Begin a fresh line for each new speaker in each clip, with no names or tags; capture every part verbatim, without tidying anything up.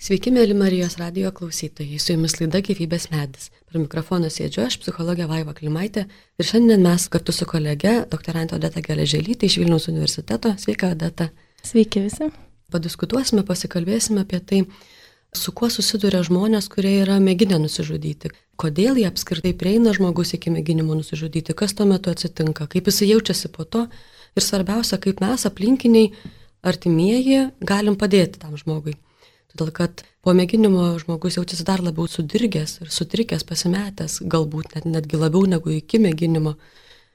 Sveiki, mėly Marijos radijo klausytojai, su jumis laida Gyvybės medis. Prie mikrofono sėdžiu aš, psichologė Vaiva Klimaitė, ir šiandien mes kartu su kolege, doktorante Odeta Geležėlytė iš Vilniaus universiteto. Sveika, Odeta.
Sveiki visi.
Padiskutuosime, pasikalbėsime apie tai, su kuo susiduria žmonės, kurie yra mėginę nusižudyti. Kodėl jie apskritai prieina žmogus iki mėginimo nusižudyti, kas tuo metu atsitinka, kaip jis jaučiasi po to ir svarbiausia, kaip mes aplinkiniai, artimieji, galim padėti tam žmogui. Todėl, kad po mėginimo žmogus jaučiasi dar labiau sudirgęs ir sutrikęs, pasimetęs, galbūt net, netgi labiau negu iki mėginimo.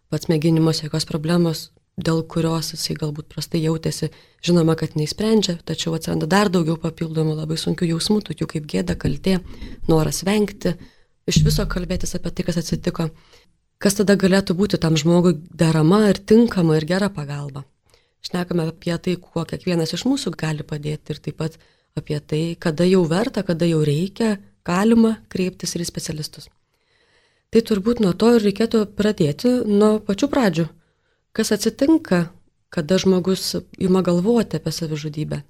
Pats mėginimas jokios problemos, dėl kurios jisai galbūt prastai jautėsi, žinoma, kad neįsprendžia, tačiau atsiranda dar daugiau papildomų labai sunkių jausmų, tokių kaip gėda, kaltė, noras vengti, iš viso kalbėtis apie tai, kas atsitiko. Kas tada galėtų būti tam žmogui derama ir tinkama ir gera pagalba? Šnekame apie tai, kuo kiekvienas iš mūsų gali padėti ir taip pat apie tai, kada jau verta, kada jau reikia, galima kreiptis ir į specialistus. Tai turbūt nuo to ir reikėtų pradėti nuo pačių pradžių. Kas atsitinka, kada žmogus ima galvoti apie savižudybę?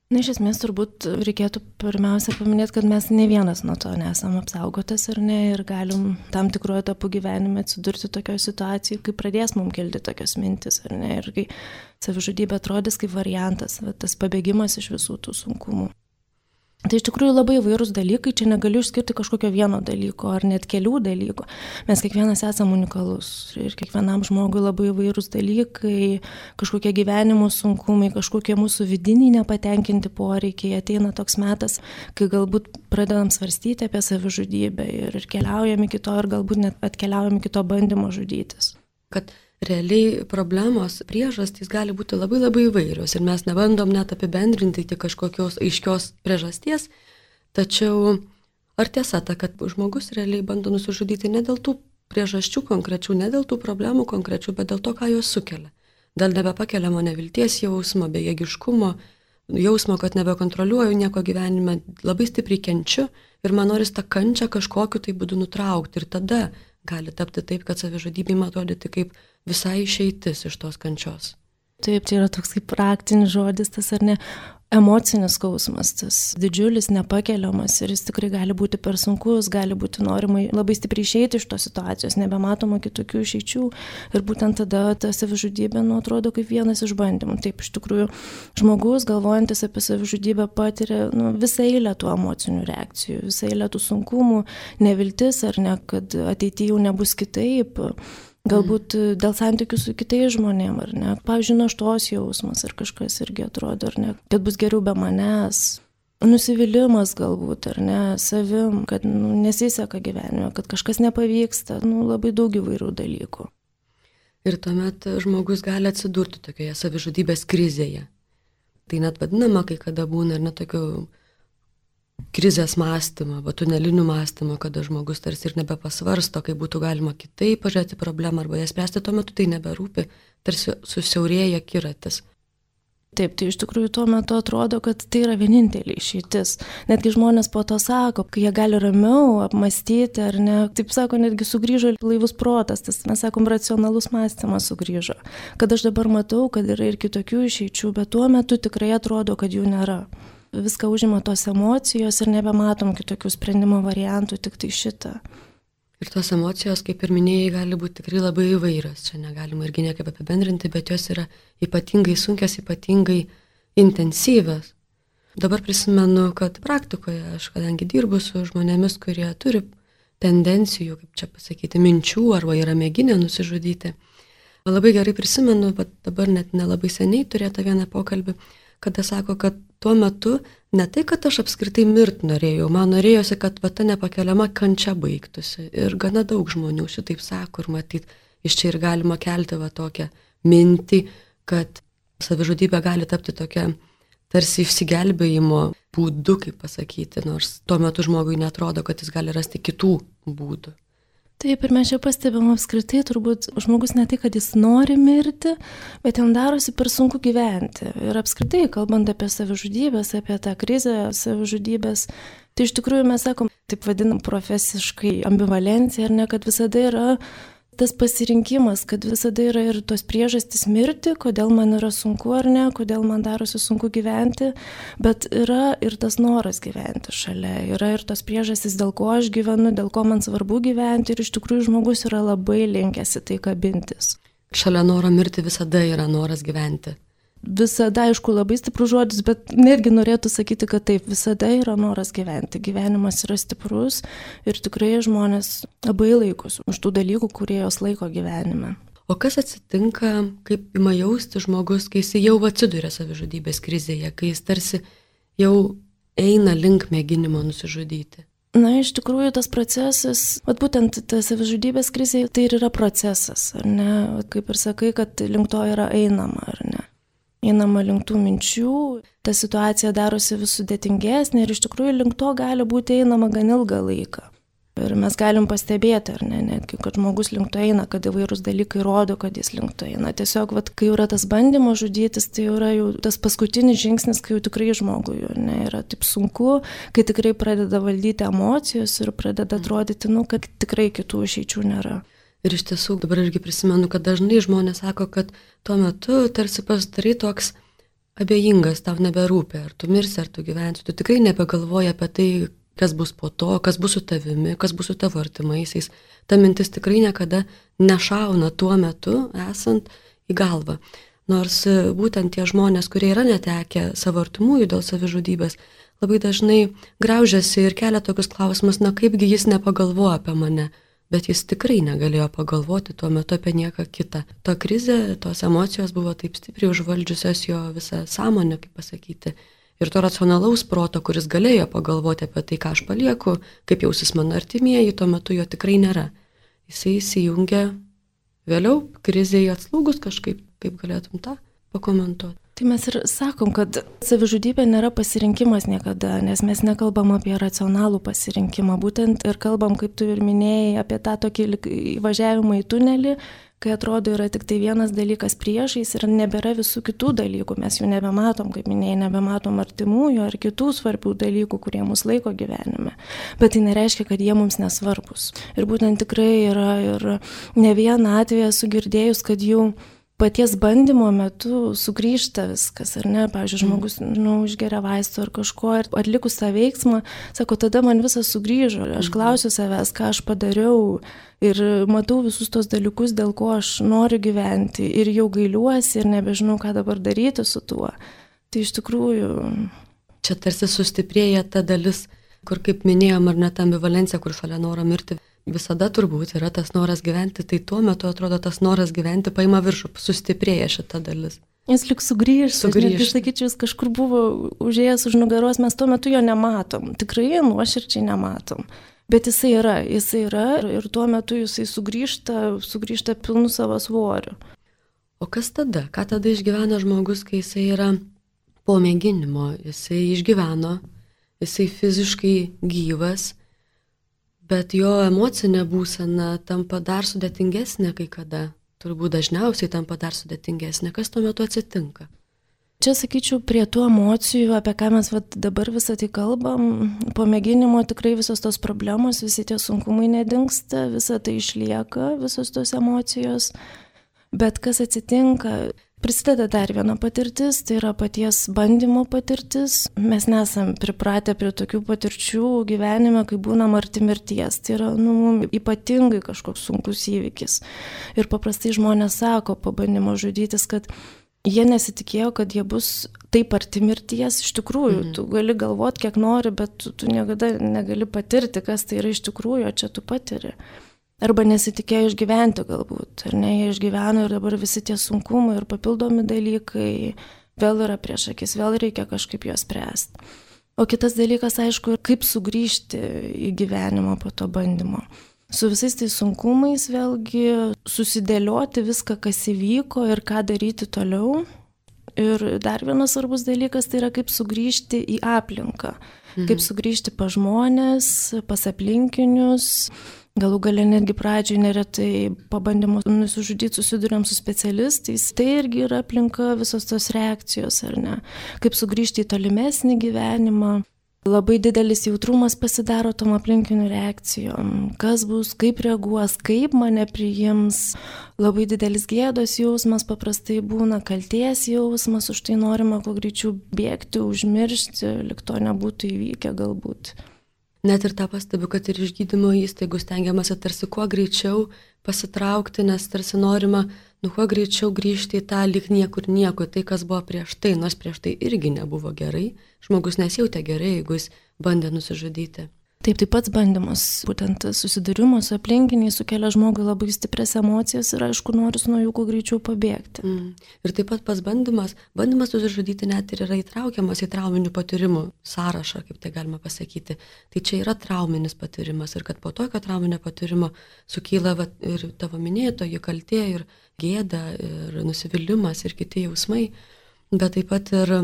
Na, iš esmės turbūt reikėtų pirmiausia paminėti, kad mes ne vienas nuo to nesam apsaugotas ar ne, ir galim tam tikruoju etapu gyvenime atsidurti tokioje situacijoje, kai pradės mums kilti tokios mintis ar ne, ir kai savižudybė atrodys kaip variantas, va, tas pabėgimas iš visų tų sunkumų. Tai iš tikrųjų labai įvairūs dalykai, čia negaliu išskirti kažkokio vieno dalyko ar net kelių dalykų. Mes kiekvienas esame unikalus ir kiekvienam žmogui labai įvairūs dalykai, kažkokie gyvenimo sunkumai, kažkokie mūsų vidiniai nepatenkinti poreikiai. Ateina toks metas, kai galbūt pradedam svarstyti apie savižudybę ir, ir keliaujam iki to ir galbūt net atkeliaujam iki to bandymo žudytis.
Kad realiai problemos priežastys gali būti labai labai įvairios ir mes nebandom net apibendrinti tik kažkokios aiškios priežasties, tačiau ar tiesa ta, kad žmogus realiai bando nusižudyti ne dėl tų priežasčių konkrečių, ne dėl tų problemų konkrečių, bet dėl to, ką jos sukelia. Dėl nebepakeliamo nevilties jausmo, bejėgiškumo, jausmo, kad nebekontroliuoju nieko gyvenime, labai stipriai kenčiu ir man noris tą kančią kažkokiu tai būdu nutraukti ir tada gali tapti taip, kad savižudybė ima atrodyti kaip visai išeitis iš tos kančios.
Taip, čia yra toks kaip praktinis žodis, tas ar ne, emocinis skausmas, tas didžiulis, nepakeliamas ir jis tikrai gali būti per sunkus, gali būti norima labai stipriai išeiti iš tos situacijos, nebematoma kitokių išeičių ir būtent tada ta savižudybė, nu, atrodo kaip vienas iš bandymų. Taip, iš tikrųjų, žmogus, galvojantis apie savižudybę, patiria nu, visą eilę tų emocinių reakcijų, visą eilę tų sunkumų, neviltis ar ne, kad ateityje jau nebus kitaip. Galbūt dėl santykių su kitais žmonėm, ar ne? Pavyzdžiui, naštos jausmas ar kažkas irgi atrodo, ar ne? Kad bus geriau be manęs. Nusivylimas galbūt, ar ne? Savim, kad nu, nesiseka gyvenime, kad kažkas nepavyksta. Nu, labai daug įvairių dalykų.
Ir tuomet žmogus gali atsidurti tokioje savižudybės krizėje. Tai net vadinama, kai kada būna ir net tokių krizės mąstymo, arba tunelinių mąstymo, kada žmogus tarsi ir nebepasvarsto, kaip būtų galima kitaip pažiūrėti problemą arba ją spręsti, tuo metu tai neberūpi, tarsi susiaurėja akiratis.
Taip, tai iš tikrųjų tuo metu atrodo, kad tai yra vienintelė išeitis. Netgi žmonės po to sako, kai jie gali ramiau apmastyti, ar ne, taip sako, netgi sugrįžo blaivus protas, tas mes sakom, racionalus mąstymas sugrįžo. Kad aš dabar matau, kad yra ir kitokių išeičių, bet tuo metu tikrai atrodo, kad jų nėra. Viską užima tos emocijos ir nebematom kitokių sprendimo variantų, tik tai šitą.
Ir tos emocijos, kaip ir minėjai, gali būti tikrai labai įvairios. Čia negalima irgi niekaip apibendrinti, bet jos yra ypatingai sunkios, ypatingai intensyvios. Dabar prisimenu, kad praktikoje aš, kadangi dirbu su žmonėmis, kurie turi tendencijų, kaip čia pasakyti, minčių arba yra mėginę nusižudyti. Labai gerai prisimenu, bet dabar net nelabai seniai turėta vieną pokalbį, kada sako, kad tuo metu ne tai, kad aš apskritai mirt norėjau, man norėjosi, kad va, ta nepakeliama kančia baigtųsi. Ir gana daug žmonių šitaip sako ir matyt, iš čia ir galima kelti va tokią mintį, kad savižudybė gali tapti tokia tarsi išsigelbėjimo būdu, kaip pasakyti, nors tuo metu žmogui netrodo, kad jis gali rasti kitų būdų.
Taip, ir mes čia pastebėm apskritai, turbūt žmogus ne tai, kad jis nori mirti, bet jam darosi per sunku gyventi. Ir apskritai, kalbant apie savižudybės, apie tą krizę savižudybės, tai iš tikrųjų mes sakom, taip vadinam profesiškai ambivalenciją, ar ne, kad visada yra tas pasirinkimas, kad visada yra ir tos priežastys mirti, kodėl man yra sunku ar ne, kodėl man darosi sunku gyventi, bet yra ir tas noras gyventi šalia, yra ir tos priežastys, dėl ko aš gyvenu, dėl ko man svarbu gyventi ir iš tikrųjų žmogus yra labai linkęs į tai kabintis.
Šalia noro mirti visada yra noras gyventi.
Visada, aišku, labai stiprus žodis, bet netgi norėtų sakyti, kad taip, visada yra noras gyventi. Gyvenimas yra stiprus ir tikrai žmonės labai laikosi už tų dalykų, kurie jos laiko gyvenime.
O kas atsitinka, kaip ima jausti žmogus, kai jis jau atsiduria savižudybės krizėje, kai jis tarsi jau eina link mėginimo nusižudyti?
Na, iš tikrųjų, tas procesas, vat būtent ta savižudybės krizė, tai ir yra procesas, ar ne? Kaip ir sakai, kad link to yra einama, ar ne? Einama link tų minčių, ta situacija darosi vis sudėtingesnė ir iš tikrųjų link to gali būti einama gan ilgą laiką. Ir mes galim pastebėti, ar ne, netgi, kad žmogus link to eina, kad įvairūs dalykai rodo, kad jis link to eina. Tiesiog, vat, kai yra tas bandymas žudytis, tai yra jau tas paskutinis žingsnis, kai jau tikrai žmogui ne, yra taip sunku, kai tikrai pradeda valdyti emocijos ir pradeda atrodyti, nu, kad tikrai kitų išeičių nėra.
Ir iš tiesų, dabar irgi prisimenu, kad dažnai žmonės sako, kad tuo metu tarsi pasidarai toks abejingas, tau neberūpi, ar tu mirsi, ar tu gyvensi, tu tikrai nebegalvoji apie tai, kas bus po to, kas bus su tavimi, kas bus su tavo artimaisiais. Ta mintis tikrai niekada nešauna tuo metu esant į galvą. Nors būtent tie žmonės, kurie yra netekę savo artimųjų dėl savižudybės, labai dažnai graužiasi ir kelia tokius klausimus, na kaipgi jis nepagalvojo apie mane. Bet jis tikrai negalėjo pagalvoti tuo metu apie nieką kitą. Ta krizė, tos emocijos buvo taip stipriai užvaldžiusios jo visą sąmonę, kaip pasakyti. Ir to racionalaus proto, kuris galėjo pagalvoti apie tai, ką aš palieku, kaip jausis mano artimieji, tuo metu jo tikrai nėra. Jisai įsijungia vėliau, krizėje atslūgus kažkaip, kaip galėtum tą pakomentuoti.
Tai mes ir sakom, kad savižudybė nėra pasirinkimas niekada, nes mes nekalbam apie racionalų pasirinkimą, būtent ir kalbam, kaip tu ir minėjai, apie tą tokį įvažiavimą į tunelį, kai atrodo yra tik tai vienas dalykas priešais ir nebėra visų kitų dalykų, mes jų nebematom, kaip minėjai, nebematom artimųjų ar kitų svarbių dalykų, kurie mus laiko gyvenime. Bet tai nereiškia, kad jie mums nesvarbus. Ir būtent tikrai yra ir ne vieną atvejį esu girdėjus, kad jų paties bandymo metu sugrįžta viskas, ar ne, pavyzdžiui, žmogus, nu, išgeria vaistų ar kažko, ir atlikus tą veiksmą, sako, tada man visas sugrįžo, aš klausiu savęs, ką aš padariau ir matau visus tos dalykus, dėl ko aš noriu gyventi ir jau gailiuosi ir nebežinau, ką dabar daryti su tuo. Tai iš tikrųjų...
Čia tarsi sustiprėja ta dalis, kur, kaip minėjom, ar net ambivalencija, kur šalia noro mirti, visada turbūt yra tas noras gyventi, tai tuo metu atrodo tas noras gyventi paima viršų, sustiprėja šita dalis.
Jis lik sugrįžta, aš sakyčiau, jis kažkur buvo užėjęs už nugaros, mes tuo metu jo nematom, tikrai nuoširdžiai nematom, bet jisai yra, jisai yra ir tuo metu jisai sugrįžta, sugrįžta pilnu savo svoriu.
O kas tada? Ką tada išgyvena žmogus, kai jisai yra po mėginimo, jisai išgyveno, jisai fiziškai gyvas, bet jo emocinė būsena tampa dar sudėtingesnė kai kada. Turbūt dažniausiai tampa dar sudėtingesnė. Kas tuo metu atsitinka?
Čia, sakyčiau, prie tų emocijų, apie ką mes vat, dabar visą tai kalbam, po mėginimo tikrai visos tos problemos, visi tie sunkumai nedingsta, visa tai išlieka, visos tos emocijos. Bet kas atsitinka? Prisideda dar viena patirtis, tai yra paties bandymo patirtis. Mes nesam pripratę prie tokių patirčių gyvenime, kai būnam arti mirties. Tai yra nu, ypatingai kažkoks sunkus įvykis. Ir paprastai žmonės sako po bandymo žudytis, kad jie nesitikėjo, kad jie bus taip arti mirties. Iš tikrųjų, mhm. tu gali galvoti, kiek nori, bet tu, tu niekada negali patirti, kas tai yra iš tikrųjų, o čia tu patiri. Arba nesitikėjo išgyventi galbūt, ar ne, jie išgyveno ir dabar visi tie sunkumai ir papildomi dalykai vėl yra prieš akis, vėl reikia kažkaip juos spręsti. O kitas dalykas, aišku, kaip sugrįžti į gyvenimą po to bandymo. Su visais tais sunkumais vėlgi susidėlioti viską, kas įvyko ir ką daryti toliau. Ir dar vienas svarbus dalykas tai yra kaip sugrįžti į aplinką, mhm. kaip sugrįžti pas žmonės, pas aplinkinius. Galų gale netgi pradžioj neretai pabandymus nusižudyti susiduriam su specialistais. Tai irgi yra aplinka, visos tos reakcijos, ar ne? Kaip sugrįžti į tolimesnį gyvenimą. labai didelis jautrumas pasidaro tom aplinkinių reakcijom, kas bus, kaip reaguos, kaip mane priims, labai didelis gėdos jausmas paprastai būna, kalties jausmas, už tai norima kuo greičiau bėgti, užmiršti, lyg to nebūtų įvykę galbūt.
Net ir tą pastebiu, kad ir iš gydymo įstaigų stengiamasi tarsi kuo greičiau pasitraukti, nes tarsi norima, nu kuo greičiau grįžti į tą lyg niekur nieko, tai kas buvo prieš tai, nors prieš tai irgi nebuvo gerai, žmogus nesijautė gerai, jeigu jis bandė nusižudyti.
Taip, taip pats bandymas, būtent susidūrimo su aplinkiniai sukelia žmogui labai stiprias emocijas ir aišku, noris nuo jų kuo greičiau pabėgti.
Mm. Ir taip pat pats bandymas, bandymas susižudyti net ir yra įtraukiamas į trauminių patyrimų sąrašą, kaip tai galima pasakyti. Tai čia yra trauminis patyrimas ir kad po tokio trauminio patyrimo sukyla va, ir tavo minėtoji kaltė, ir gėda, ir nusivylimas, ir kiti jausmai, bet taip pat ir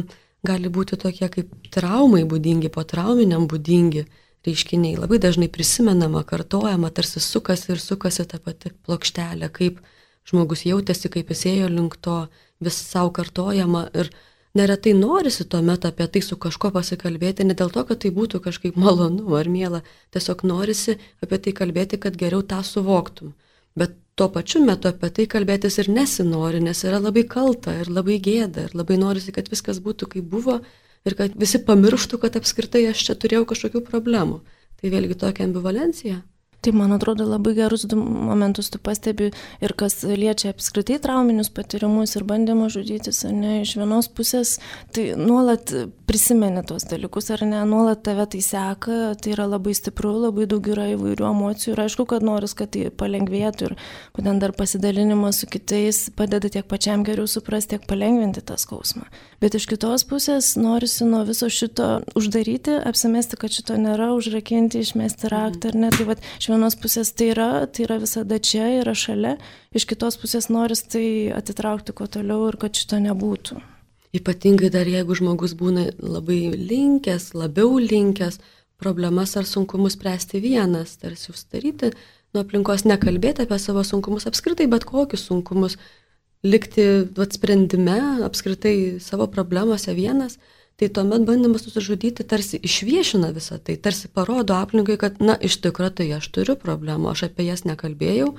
gali būti tokie kaip traumai būdingi, po trauminiam būdingi reiškiniai. Labai dažnai prisimenama, kartojama, tarsi sukasi ir sukasi ta pati plokštelė, kaip žmogus jautėsi, kaip jis ėjo link to, vis savo kartojama ir neretai norisi tuomet apie tai su kažko pasikalbėti, ne dėl to, kad tai būtų kažkaip malonu ar miela, tiesiog norisi apie tai kalbėti, kad geriau tą suvoktum. Bet tuo pačiu metu apie tai kalbėtis ir nesinori, nes yra labai kalta ir labai gėda ir labai norisi, kad viskas būtų kaip buvo ir kad visi pamirštų, kad apskritai aš čia turėjau kažkokių problemų. Tai vėlgi tokia ambivalencija.
Tai, man atrodo, labai gerus du momentus tu pastebi ir kas liečia apskritai trauminius patyrimus ir bandymą žudytis, ar ne, iš vienos pusės, tai nuolat prisimeni tuos dalykus, ar ne, nuolat tave tai seka, tai yra labai stipru, labai daug yra įvairių emocijų ir aišku, kad noris, kad tai palengvėtų ir būtent dar pasidalinimas su kitais padeda tiek pačiam geriau suprasti, tiek palengvinti tą skausmą. Bet iš kitos pusės norisi nuo viso šito uždaryti, apsimesti, kad šito nėra, užrakinti, išmesti raktą, ar ne, tai vat, iš vienos pusės tai yra, tai yra visada čia, yra šalia, iš kitos pusės noris tai atitraukti kuo toliau ir kad šito nebūtų.
Ypatingai dar jeigu žmogus būna labai linkęs, labiau linkęs, problemas ar sunkumus spręsti vienas, tarsi užsidaryti, nuo aplinkos nekalbėti apie savo sunkumus, apskritai bet kokius sunkumus, likti vat, sprendime, apskritai savo problemose vienas, tai tuomet bandymas nusižudyti tarsi išviešina visą tai, tarsi parodo aplinkai, kad, na, iš tikrųjų tai aš turiu problemų, aš apie jas nekalbėjau,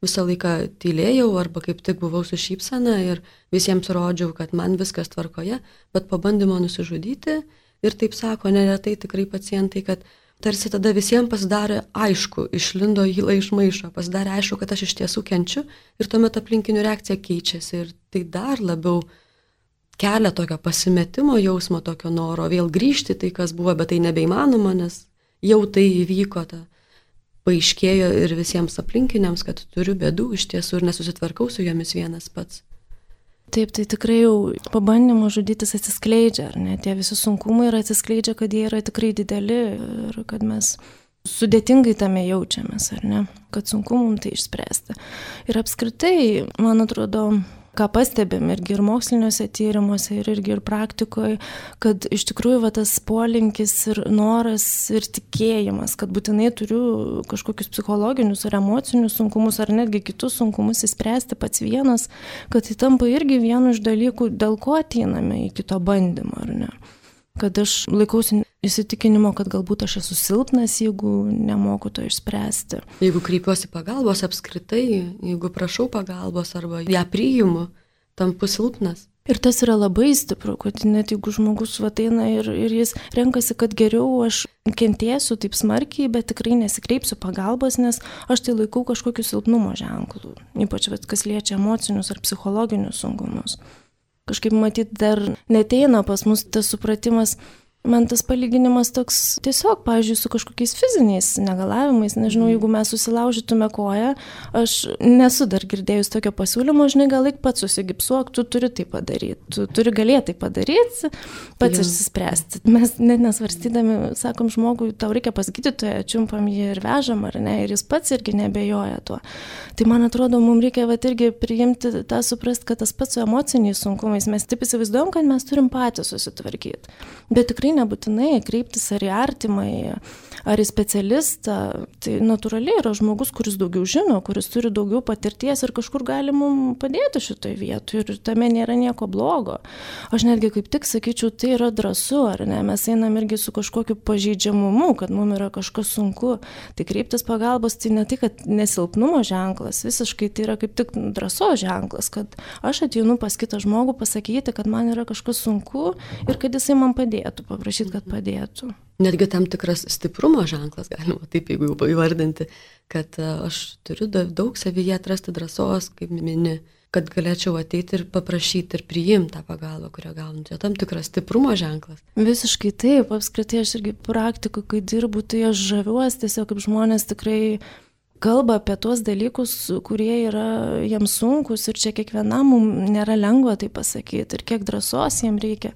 visą laiką tylėjau arba kaip tik buvau su šypsena ir visiems rodžiau, kad man viskas tvarkoje, bet po bandymo nusižudyti ir taip sako neretai tikrai pacientai, kad tarsi tada visiems pasidarė aišku, išlindo įla iš maišo, pasidarė aišku, kad aš iš tiesų kenčiu ir tuomet aplinkinių reakcija keičiasi ir tai dar labiau kelia tokio pasimetimo jausmo, tokio noro vėl grįžti tai, kas buvo, bet tai nebeįmanoma, nes jau tai įvyko, ta paaiškėjo ir visiems aplinkiniams, kad turiu bėdų iš tiesų ir nesusitvarkau su jomis vienas pats.
Taip, tai tikrai jau pabandymų žudytis atsiskleidžia, ar ne? Tie visi sunkumai ir atsiskleidžia, kad jie yra tikrai dideli ir kad mes sudėtingai tame jaučiamės, ar ne? Kad sunku mums tai išspręsti. Ir apskritai, man atrodo, ką pastebėm irgi ir moksliniuose tyrimuose, ir irgi ir praktikoje, kad iš tikrųjų va, tas polinkis ir noras ir tikėjimas, kad būtinai turiu kažkokius psichologinius ar emocinius sunkumus, ar netgi kitus sunkumus įspręsti pats vienas, kad tai tampa irgi vienu iš dalykų, dėl ko ateiname į kito bandymą, ar ne? Kad aš laikausi įsitikinimo, kad galbūt aš esu silpnas, jeigu nemoku to išspręsti.
Jeigu kreipiuosi pagalbos apskritai, jeigu prašau pagalbos arba ją priimu, tampu silpnas.
Ir tas yra labai stipru, kad net jeigu žmogus ateina ir, ir jis renkasi, kad geriau aš kentėsiu taip smarkiai, bet tikrai nesikreipsiu pagalbos, nes aš tai laikau kažkokiu silpnumo ženklu, ypač kas liečia emocinius ar psichologinius sunkumus. Kažkaip matyt dar neteina pas mus tas supratimas, man tas palyginimas toks tiesiog, pavyzdžiui, su kažkokiais fiziniais negalavimais, nežinau, jeigu mes susilaužytume koją, aš nesu dar girdėjus tokio pasiūlymo, žinai, gal laik pats susigipsuok, tu turi tai padaryti, tu turi galėti tai padaryti, pats išsispręsti. Mes net nesvarstydami, sakom žmogui, tau reikia pas gydytoją, čiumpam jį ir vežam, ar ne, ir jis pats irgi nebejoja tuo. Tai man atrodo, mums reikia vat, irgi priimti tą suprast, kad tas pats su emociniais sunkumais, mes taip įsivaizduojam, kad mes turim patys susitvarkyti, bet tikrai nebūtinai kreiptis ar į artimai, ar į specialistą. Tai natūraliai yra žmogus, kuris daugiau žino, kuris turi daugiau patirties ir kažkur gali mums padėti šitoje vietoje ir tame nėra nieko blogo. Aš netgi kaip tik sakyčiau, tai yra drąsu, ar ne? Mes einam irgi su kažkokiu pažeidžiamumu, kad mums yra kažkas sunku. Tai kreiptis pagalbos tai ne tai, kad nesilpnumo ženklas, visiškai tai yra kaip tik drąsos ženklas, kad aš ateinu pas kitą žmogų pasakyti, kad man yra kažkas sunku ir kad jisai man padėtų, paprašyti, kad padėtų.
Netgi tam tikras stiprumo ženklas, galima taip jeigu jau įvardinti, kad aš turiu daug savyje atrasti drąsos, kaip mini, kad galėčiau ateiti ir paprašyti ir priimti tą pagalbą, kurią gaunu. Tai tam tikras stiprumo ženklas.
Visiškai taip, apskritai aš irgi praktikoje, kai dirbu, tai aš žaviuosi tiesiog, kaip žmonės tikrai kalba apie tuos dalykus, kurie yra jiems sunkus ir čia kiekvienam mums nėra lengva tai pasakyti ir kiek drąsos jiems reikia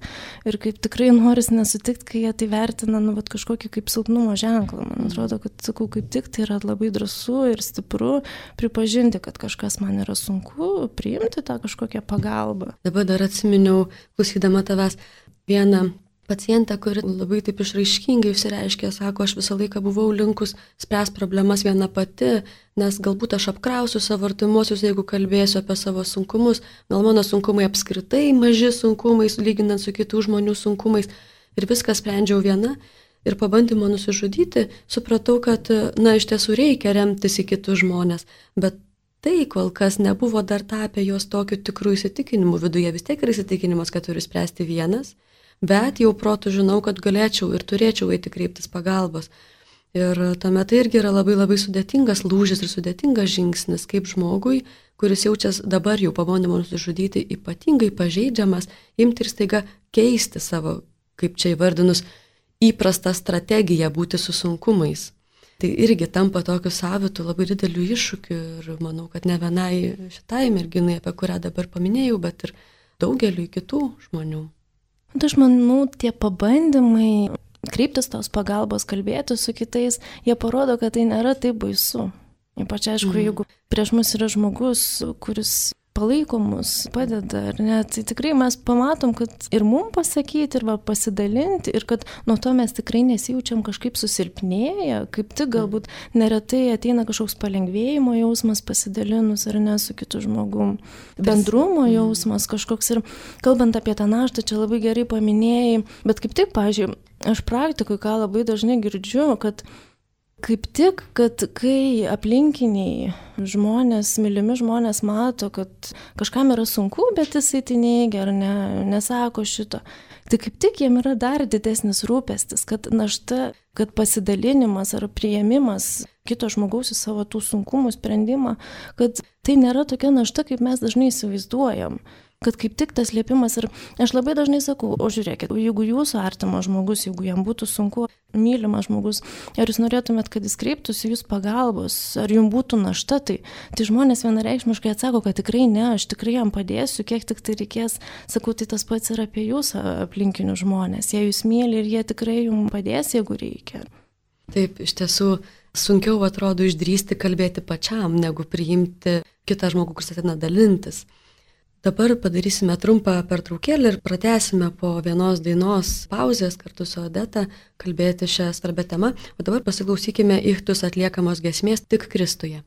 ir kaip tikrai noris nesutikti, kai jie tai vertina nu, vat, kažkokį kaip silpnumo ženklą. Man atrodo, kad sakau, kaip tik tai yra labai drąsu ir stipru pripažinti, kad kažkas man yra sunku, priimti tą kažkokią pagalbą.
Dabar dar atsiminiau, klausydama tavęs, vieną pacientę, kuri labai taip išraiškingai išsireiškė, sako, aš visą laiką buvau linkus spręs problemas viena pati, nes galbūt aš apkrausiu savo artimuosius, jeigu kalbėsiu apie savo sunkumus, gal mano sunkumai apskritai maži sunkumai, lyginant su kitų žmonių sunkumais ir viską sprendžiau viena. Ir pabandymo nusižudyti, supratau, kad, na, iš tiesų reikia remtis į kitus žmonės, bet tai kol kas nebuvo dar tapę jos tokiu tikrų įsitikinimu viduje, vis tiek yra įsitikinimas, kad turiu spręsti vienas. Bet jau protu žinau, kad galėčiau ir turėčiau eiti kreiptis pagalbos. Ir tuomet tai irgi yra labai labai sudėtingas lūžis ir sudėtingas žingsnis, kaip žmogui, kuris jaučias dabar jau pabandymo nusižudyti, ypatingai pažeidžiamas, imti ir staiga keisti savo, kaip čia įvardinus, įprastą strategiją būti su sunkumais. Tai irgi tampa tokiu savitu labai dideliu iššūkiu ir manau, kad ne vienai šitai merginai, apie kurią dabar paminėjau, bet ir daugeliu kitų žmonių.
Aš manau, tie pabandymai kreiptis tos pagalbos, kalbėti su kitais, jie parodo, kad tai nėra taip baisu. Ypač aišku, mm. jeigu prieš mus yra žmogus, kuris palaiko mus, padeda, ar ne, tai tikrai mes pamatom, kad ir mum pasakyti, ir va, pasidalinti, ir kad nuo to mes tikrai nesijaučiam kažkaip susilpnėję, kaip tik galbūt neretai ateina kažkoks palengvėjimo jausmas pasidalinus, ar ne, su kitu žmogum. Bendrumo jausmas kažkoks ir kalbant apie tą naštą, čia labai gerai paminėjai, bet kaip tik, pavyzdžiui, aš praktikoje ką labai dažnai girdžiu, kad kaip tik, kad kai aplinkiniai žmonės, mylimi žmonės mato, kad kažkam yra sunku, bet jisai tai neigia ar ne, nesako šito, tai kaip tik jiem yra dar didesnis rūpestis, kad našta, kad pasidalinimas ar priėmimas kito žmogaus į savo tų sunkumų sprendimą, kad tai nėra tokia našta, kaip mes dažnai įsivaizduojam. Kad kaip tik tas liepimas ir aš labai dažnai sakau, o žiūrėkit, jeigu jūsų artimas žmogus, jeigu jam būtų sunku, mylimas žmogus, ar jūs norėtumėt, kad jis kreiptųsi jūs pagalbos, ar jums būtų našta, tai, tai žmonės vienareikšmiškai atsako, kad tikrai ne, aš tikrai jam padėsiu, kiek tik tai reikės, sakau, tai tas pats yra apie jūs aplinkinius žmonės, jie jūs myli ir jie tikrai jums padės, jeigu reikia.
Taip, iš tiesų sunkiau atrodo išdrįsti kalbėti pačiam, negu priimti kitą žmogų, kuris ateina dalintis. Dabar padarysime trumpą pertraukėlę ir pratęsime po vienos dainos pauzės kartu su Odeta kalbėti šią svarbią temą, o dabar pasiklausykime Ichtus atliekamos giesmės Tik Kristuje.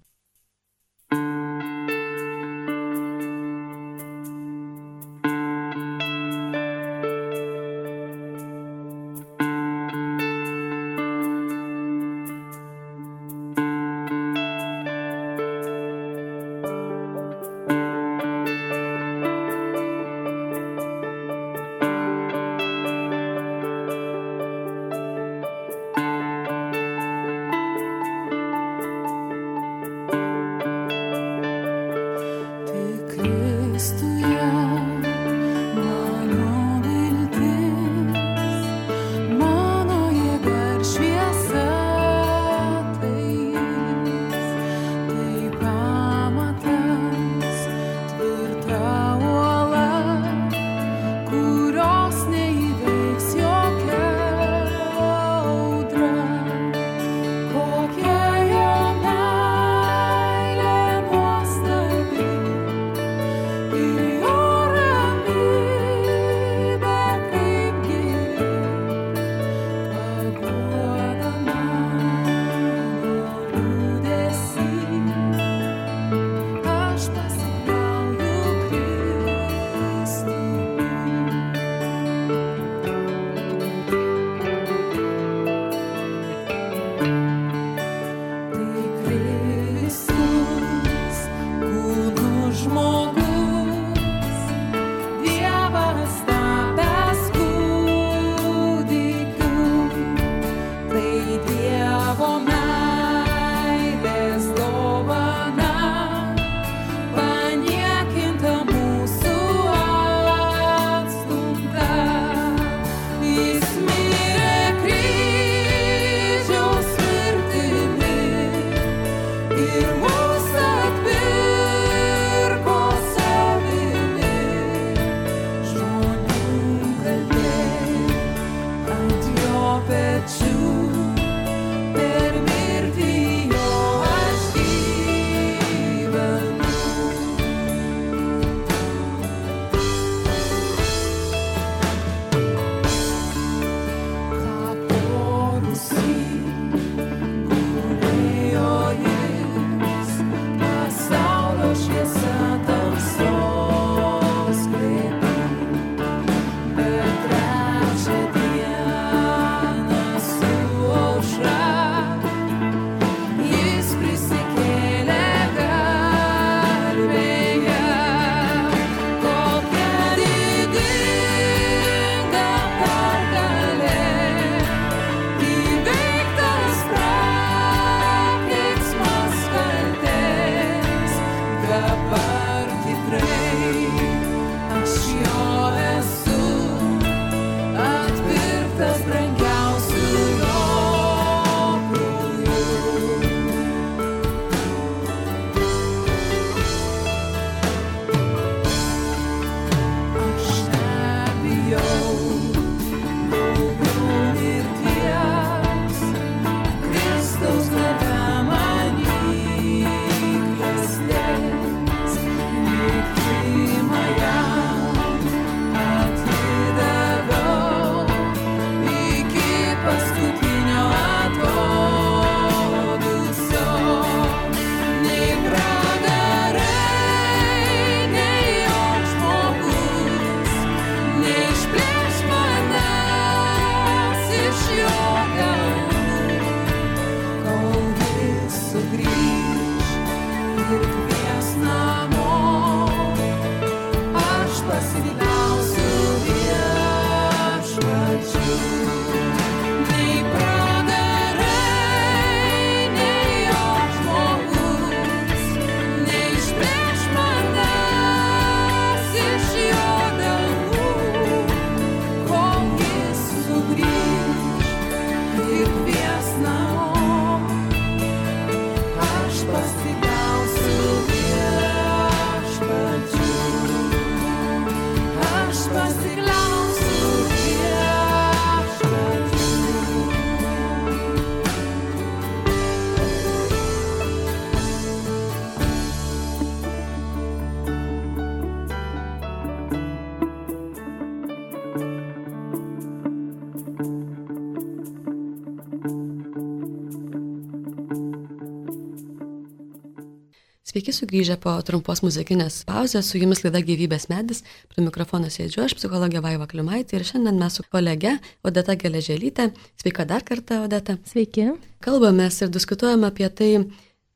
Sveiki sugrįžę po trumpos muzikinės pauzės, su jumis laida Gyvybės medis, prie mikrofono sėdžiu aš, psichologė Vaiva Klimaitė, ir šiandien mes su kolege Odeta Geležėlytė. Sveika dar kartą, Odeta.
Sveiki.
Kalbamės ir diskutuojame apie tai,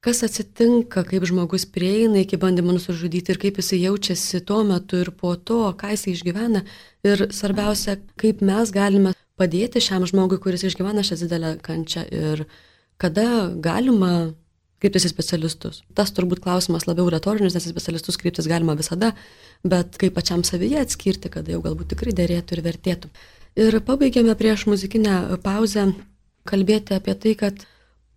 kas atsitinka, kaip žmogus prieina iki bandymo nusižudyti ir kaip jis jaučiasi tuo metu ir po to, ką jis išgyvena. Ir svarbiausia, kaip mes galime padėti šiam žmogui, kuris išgyvena šią didelę kančią, ir kada galima kreiptis į specialistus. Tas turbūt klausimas labiau retorinis, nes į specialistus kreiptis galima visada, bet kaip pačiam savyje atskirti, kada jau galbūt tikrai derėtų ir vertėtų. Ir pabaigėme prieš muzikinę pauzę kalbėti apie tai, kad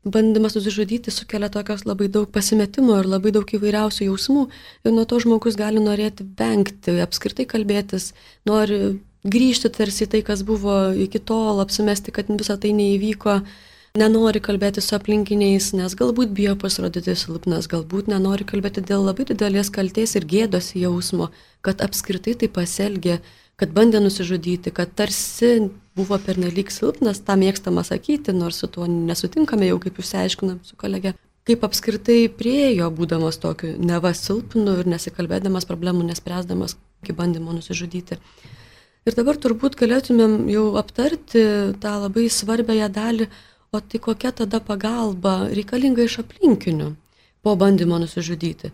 bandymas nusižudyti sukelia tokios labai daug pasimetimo ir labai daug įvairiausių jausmų, ir nuo to žmogus gali norėti vengti, apskritai kalbėtis, nori grįžti tarsi tai, kas buvo iki tol, apsimesti, kad visą tai neįvyko. Nenori kalbėti su aplinkiniais, nes galbūt bijo pasirodyti silpnas, galbūt nenori kalbėti dėl labai didelės kaltės ir gėdos jausmo, kad apskritai tai pasielgė, kad bandė nusižudyti, kad tarsi buvo pernelyg silpnas, tą mėgstama sakyti, nors su tuo nesutinkame jau, kaip jūs aiškinam su kolege. Kaip apskritai priejo, būdamas tokiu neva silpnu ir nesikalbėdamas problemų, nespręsdamas iki bandymo nusižudyti. Ir dabar turbūt galėtumėm jau aptarti tą labai svarbiąją dalį. O tai kokia tada pagalba reikalinga iš aplinkinių po bandymo nusižudyti?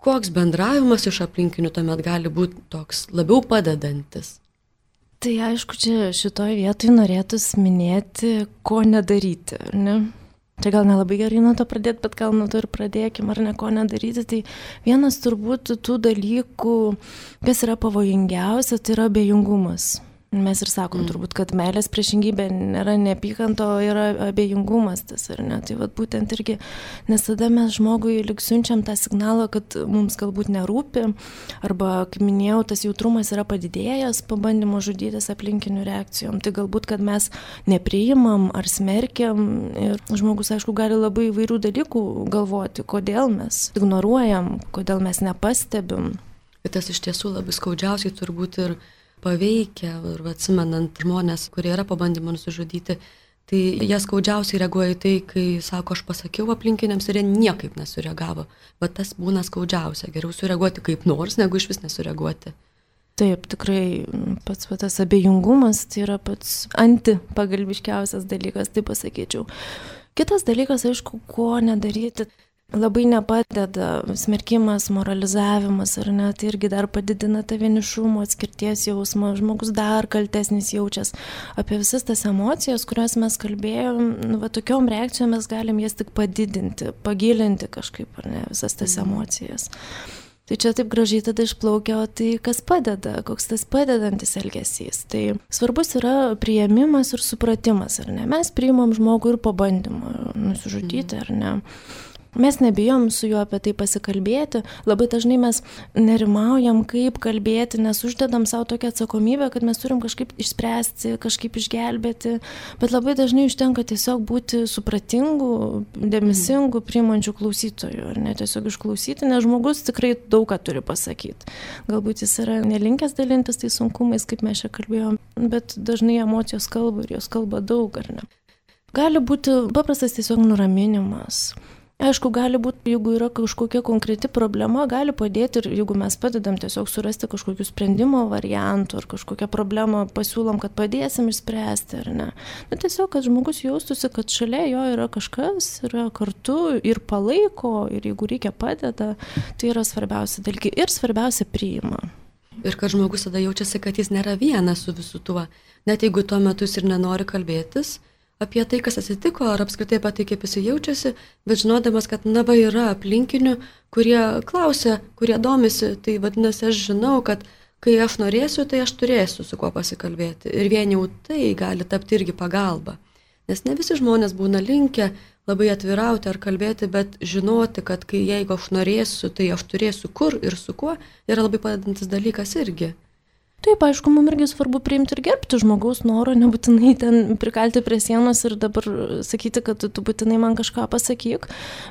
Koks bendravimas iš aplinkinių tuomet gali būti toks labiau padedantis?
Tai aišku, čia šitoj vietoj norėtųsi minėti, ko nedaryti, ar ne? Čia gal nelabai gerai nuo to pradėti, bet gal nuo to ir pradėkim, ar ne, ko nedaryti. Tai vienas turbūt tų dalykų, kas yra pavojingiausia, tai yra abejingumas. Mes ir sakom mm. turbūt, kad meilės priešingybė nėra neapykanto, yra abejingumas tas, ar ne? Tai vat būtent irgi, nes tada mes žmogui lyg siunčiam tą signalą, kad mums galbūt nerūpi, arba, kaip minėjau, tas jautrumas yra padidėjęs po bandymo žudytis aplinkinių reakcijom. Tai galbūt, kad mes nepriimam ar smerkiam ir žmogus, aišku, gali labai įvairių dalykų galvoti, kodėl mes ignoruojam, kodėl mes nepastebim.
Bet tas iš tiesų labai skaudžiausiai turbūt ir paveikia, ir atsimenant žmonės, kurie yra po bandymo nusižudyti, tai jie skaudžiausiai reaguoja į tai, kai sako, aš pasakiau aplinkiniams ir jie niekaip nesureagavo. Bet tas būna skaudžiausia, geriau sureaguoti kaip nors, negu iš vis nesureaguoti.
Taip, tikrai pats tas abejingumas tai yra pats antipagalbiškiausias dalykas, tai pasakyčiau. Kitas dalykas, aišku, ko nedaryti. Labai nepadeda smerkimas, moralizavimas, ar ne, tai irgi dar padidina tą vienišumo, atskirties jausmą, žmogus dar kaltesnis jaučias. Apie visas tas emocijas, kurias mes kalbėjom, nu, va, tokiom reakcijom mes galim jas tik padidinti, pagilinti kažkaip, ar ne, visas tas emocijas. Tai čia taip gražiai tada išplaukia, o tai kas padeda, koks tas padedantis elgesys. Tai svarbus yra priėmimas ir supratimas, ar ne. Mes priimam žmogų ir po bandymo nusižudyti, ar ne. Mes nebijom su juo apie tai pasikalbėti, labai dažnai mes nerimaujam, kaip kalbėti, nes uždedam savo tokią atsakomybę, kad mes turim kažkaip išspręsti, kažkaip išgelbėti, bet labai dažnai užtenka tiesiog būti supratingų, dėmesingų, priimančių klausytojų, ar ne tiesiog išklausyti, nes žmogus tikrai daug ką turi pasakyti. Galbūt jis yra nelinkęs dalintis tai sunkumais, kaip mes čia kalbėjom, bet dažnai emocijos kalba ir jos kalba daug, ar ne. Gali būti paprastas tiesiog nuraminimas. Aišku, gali būti, jeigu yra kažkokia konkreti problema, gali padėti ir jeigu mes padedam tiesiog surasti kažkokių sprendimo variantų ar kažkokią problemą pasiūlom, kad padėsim išspręsti, ar ne. Na, tiesiog, kad žmogus jaustųsi, kad šalia jo yra kažkas, yra kartu ir palaiko, ir jeigu reikia padeda, tai yra svarbiausia dalykai ir svarbiausia priima.
Ir kad žmogus tada jaučiasi, kad jis nėra vienas su visu tuo, net jeigu tuo metu jis ir nenori kalbėtis apie tai, kas atsitiko, ar apskritai apie tai, kaip jis jaučiasi, bet žinodamas, kad na va yra aplinkinių, kurie klausia, kurie domisi, tai vadinasi, aš žinau, kad kai aš norėsiu, tai aš turėsiu su kuo pasikalbėti. Ir vien jau tai gali tapti irgi pagalba. Nes ne visi žmonės būna linkę labai atvirauti ar kalbėti, bet žinoti, kad kai jeigu aš norėsiu, tai aš turėsiu kur ir su kuo, yra labai padedantis dalykas irgi.
Taip, aišku, mums irgi svarbu priimti ir gerbti žmogaus norą, nebūtinai ten prikalti prie sienos ir dabar sakyti, kad tu būtinai man kažką pasakyk.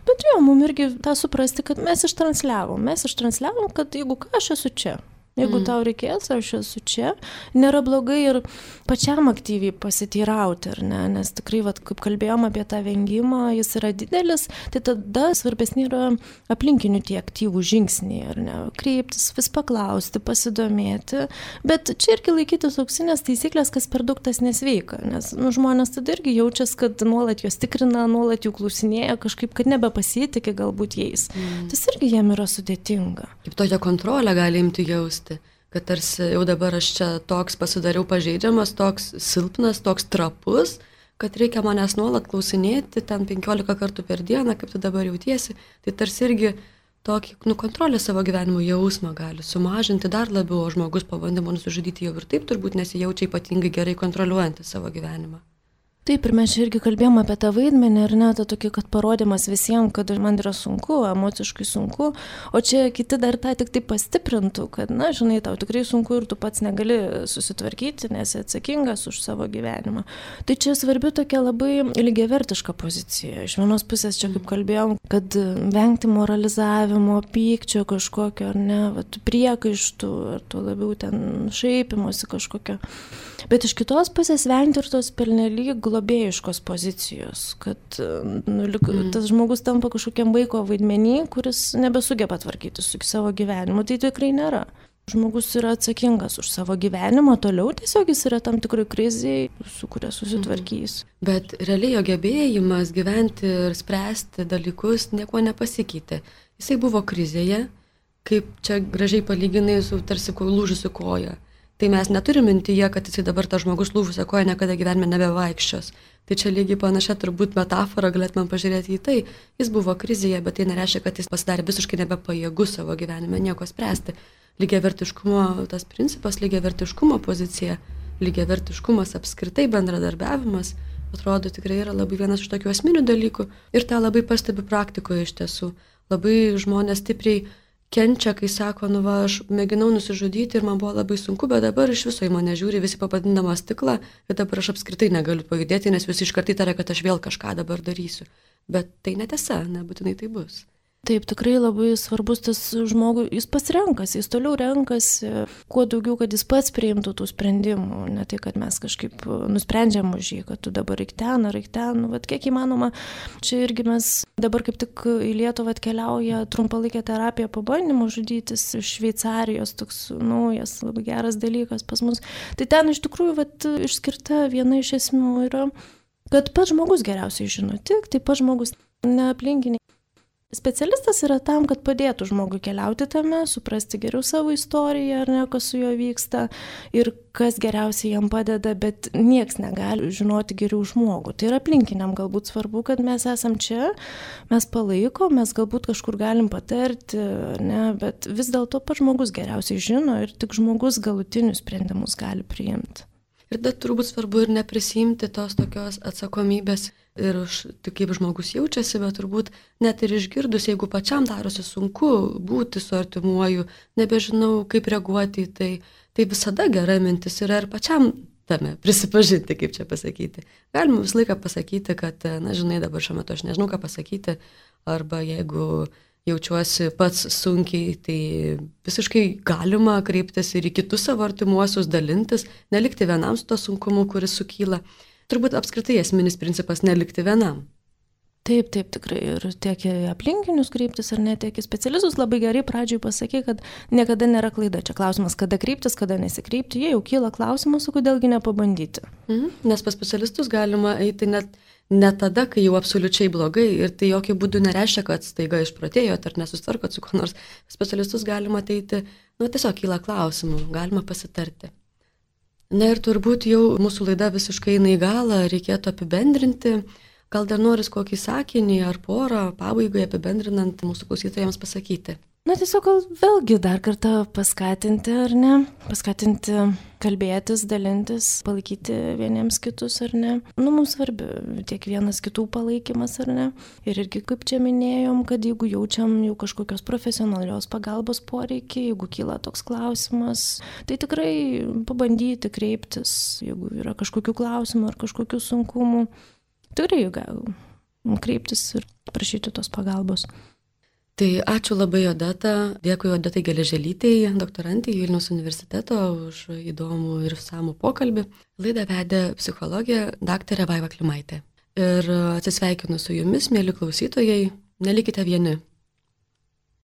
Bet jo, mums irgi tą suprasti, kad mes ištransliavom. Mes ištransliavom, kad jeigu ką, aš esu čia. Jeigu mm. tau reikės, aš esu čia. Nėra blogai ir pačiam aktyviai pasiteirauti, ar ne? Nes tikrai, vat, kaip kalbėjom apie tą vengimą, jis yra didelis, tai tada svarbesni yra aplinkinių tie aktyvų žingsniai, ar ne? Kreiptis, vis paklausti, pasidomėti. Bet čia irgi laikytis auksinės taisyklės, kas per daug tas nesveika. Nes nu, žmonės tada irgi jaučias, kad nuolat juos tikrina, nuolat jų klausinėja, kažkaip, kad nebepasitikė galbūt jais. Mm. Tas irgi jiem yra sudėtinga.
Kaip tokią kontrolę gali imti jausti. Kad tarsi jau dabar aš čia toks pasidariau pažeidžiamas, toks silpnas, toks trapus, kad reikia manęs nuolat klausinėti ten penkiolika kartų per dieną, kaip tu dabar jautiesi, tai tarsi irgi tokį nu, kontrolę savo gyvenimo jausmą gali sumažinti dar labiau, o žmogus po bandymo nusižudyti jau ir taip turbūt nesijaučia ypatingai gerai kontroliuojantį savo gyvenimą.
Taip, ir mes čia irgi kalbėjom apie tą vaidmenį, ar ne, tą tokį, kad parodymas visiems, kad man yra sunku, emociškai sunku, o čia kiti dar tą tik tai pastiprintų, kad, na, žinai, tau tikrai sunku ir tu pats negali susitvarkyti, nes atsakingas už savo gyvenimą. Tai čia svarbi tokia labai lygiavertiška pozicija. Iš vienos pusės čia, kaip kalbėjom, kad vengti moralizavimo, pykčio kažkokio, ar ne, vat, priekaištų, ar to labiau ten šaipimosi kažkokio. Bet iš kitos pusės vengti ir tos pernelyg globėjiškos pozicijos, kad nu, mm. tas žmogus tampa kažkokiam vaiko vaidmenį, kuris nebesugeba tvarkyti su savo gyvenimu, tai tikrai nėra. Žmogus yra atsakingas už savo gyvenimą, toliau tiesiog jis yra tam tikrai kriziai, su kuria susitvarkys.
Mm. Bet realiai jo gebėjimas gyventi ir spręsti dalykus nieko nepasikeitė. Jisai buvo krizėje, kaip čia gražiai palyginai su tarsi lūžusiu koja. Tai mes neturim mintyje, kad jisai dabar tas žmogus lūžusią koją niekada gyvenime nebevaikščios. Tai čia lygiai panašia turbūt metafora, galėtumėm pažiūrėti į tai. Jis buvo krizėje, bet tai nereiškia, kad jis pasidarė visiškai nebepajėgus savo gyvenime nieko spręsti. Lygiavertiškumo, tas principas, lygiavertiškumo pozicija lygiavertiškumas, apskritai bendradarbiavimas, atrodo tikrai yra labai vienas iš tokių esminių dalykų ir tą labai pastebiu praktikoje iš tiesų. Labai žmonės stipriai kenčia, kai sako, nu va, aš mėginau nusižudyti ir man buvo labai sunku, bet dabar iš viso į mane žiūri visi papadindama stiklą ir dabar aš apskritai negaliu pajudėti, nes visi iškart įtaria, kad aš vėl kažką dabar darysiu. Bet tai netiesa, nebūtinai tai bus.
Taip, tikrai labai svarbus tas žmogui, jis pats renkasi, jis toliau renkasi, kuo daugiau, kad jis pats priimtų tų sprendimų, ne tai, kad mes kažkaip nusprendžiam už jį, kad tu dabar reik ten, ar reik ten, nu, vat kiek įmanoma. Čia irgi mes dabar kaip tik į Lietuvą atkeliauja trumpalaikė terapija pabandymų žudytis iš Šveicarijos, toks naujas, labai geras dalykas pas mus. Tai ten iš tikrųjų vat, išskirta viena iš esmių yra, kad pats žmogus geriausiai žino, tik tai pats žmogus, ne aplinkiniai. Specialistas yra tam, kad padėtų žmogui keliauti tame, suprasti geriau savo istoriją, ar ne, kas su juo vyksta ir kas geriausiai jam padeda, bet nieks negali žinoti geriau žmogų. Tai yra aplinkiniam galbūt svarbu, kad mes esam čia, mes palaikom, mes galbūt kažkur galim patarti, ne, bet vis dėlto pats žmogus geriausiai žino ir tik žmogus galutinius sprendimus gali priimti.
Ir dar turbūt svarbu ir neprisimti tos tokios atsakomybės ir už tai, kaip žmogus jaučiasi, bet turbūt net ir išgirdus, jeigu pačiam darosi sunku būti su artimuoju, nebežinau, kaip reaguoti į tai, tai visada gera mintis yra ir pačiam tame prisipažinti, kaip čia pasakyti. Galima visą laiką pasakyti, kad, na, žinai, dabar šiuo metu aš nežinau, ką pasakyti, arba jeigu jaučiuosi pats sunkiai, tai visiškai galima kreiptis ir į kitus savo artimuosius, dalintis, nelikti vienam su to sunkumu, kuris sukyla. Turbūt apskritai esminis principas nelikti vienam.
Taip, taip, tikrai. Ir tiek į aplinkinius kreiptis, ar ne, tiek į specialistus labai gerai pradžioj pasakė, kad niekada nėra klaida. Čia klausimas, kada kreiptis, kada nesikreipti. Jie jau kyla klausimas, o kodėlgi nepabandyti.
Mhm. Nes pas specialistus galima eiti net ne tada, kai jau absoliučiai blogai ir tai jokių būdų nereiškia, kad staiga išprotėjot ar nesusitvarkot su kuo nors. Specialistus galima ateiti, nu tiesiog kyla klausimų, galima pasitarti. Na ir turbūt jau mūsų laida visiškai eina į galą, reikėtų apibendrinti. Gal dar noris kokį sakinį ar porą pabaigai apibendrinant mūsų klausytojams pasakyti?
Na tiesiog gal vėlgi dar kartą paskatinti, ar ne? Paskatinti kalbėtis, dalintis, palaikyti vieniems kitus, ar ne? Nu, mums svarbi tiek vienas kitų palaikymas, ar ne? Ir irgi, kaip čia minėjom, kad jeigu jaučiam jau kažkokios profesionalios pagalbos poreikį, jeigu kyla toks klausimas, tai tikrai pabandyti kreiptis, jeigu yra kažkokių klausimų ar kažkokių sunkumų. Tikrai gal kreiptis ir prašyti tos pagalbos.
Tai ačiū labai Odeta, dėkui Odetai Geležėlytei, doktorantei Vilniaus universiteto už įdomų ir išsamų pokalbį. Laidą vedė psichologė daktarė Vaiva Klimaitė. Ir atsisveikinu su jumis, mieli klausytojai, nelikite vieni.